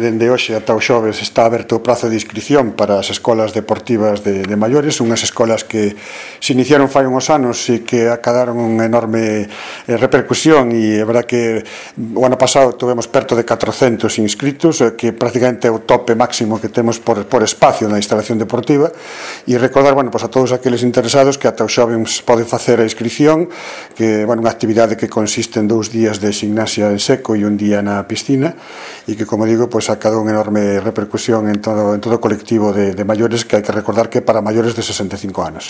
dende hoxe ata o xoves está aberto o prazo de inscripción para as escolas deportivas de maiores, unhas escolas que se iniciaron fai uns anos e que acadaron unha enorme repercusión, e é verdad que o ano pasado tivemos perto de 400 inscritos, que prácticamente é o tope máximo que temos por espacio na instalación deportiva. E recordar, a todos aqueles interesados que ata o xoves poden facer a inscripción, que unha actividade que consiste en 2 días de gimnasia en seco e un día na piscina, e que, como digo, ha dado unha enorme repercusión en todo o colectivo de maiores, que hai que recordar que é para maiores de 65 anos.